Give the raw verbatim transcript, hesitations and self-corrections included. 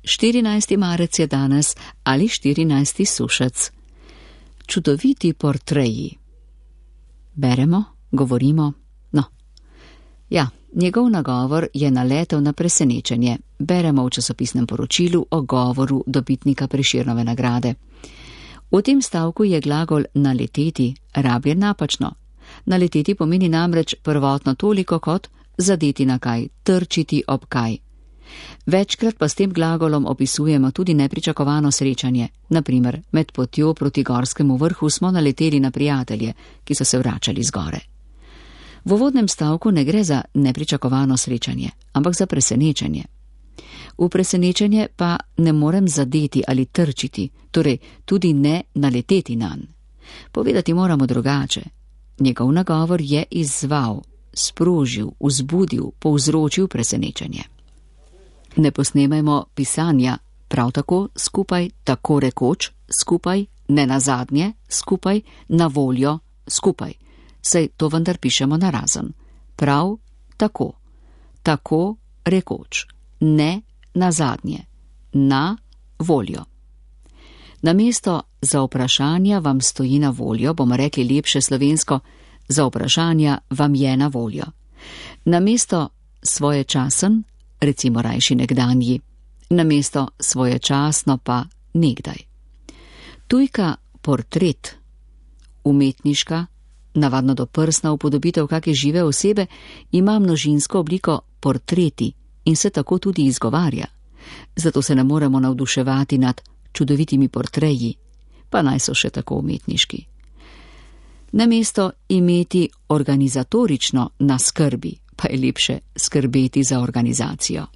štirinajsti marec je danes ali štirinajsti sušec. Čudoviti portreji. Beremo, govorimo, no. Ja, njegov nagovor je naletel na presenečenje. Beremo v časopisnem poročilu o govoru dobitnika Prešernove nagrade. V tem stavku je glagol naleteti rabljen napačno. Naleteti pomeni namreč prvotno toliko kot zadeti na kaj, trčiti ob kaj. Večkrat pa s tem glagolom opisujemo tudi nepričakovano srečanje. Naprimer, med potjo proti gorskemu vrhu smo naleteli na prijatelje, ki so se vračali z gore. V uvodnem stavku ne gre za nepričakovano srečanje, ampak za presenečenje. V presenečenje pa ne morem zadeti ali trčiti, torej tudi ne naleteti nanj. Povedati moramo drugače. Njegov nagovor je izzval, sprožil, vzbudil, povzročil presenečenje. Ne posnemajmo pisanja, prav tako skupaj, tako rekoč, skupaj, ne nazadnje, skupaj, na voljo, skupaj. Saj to vendar pišemo narazen. Prav tako, tako rekoč, ne nazadnje, na voljo. Namesto za vprašanja vam stoji na voljo, bomo rekli lepše slovensko, za vprašanja vam je na voljo. Namesto svoječasen, recimo rajši nekdanji, namesto svoječasno pa nekdaj. Tujka portret, umetniška, navadno doprsna upodobitev kake žive osebe, ima množinsko obliko portreti in se tako tudi izgovarja. Zato se ne moremo navduševati nad čudovitimi portreji, pa naj so še tako umetniški. Namesto imeti organizatorično na skrbi, pa je lepše skrbeti za organizacijo.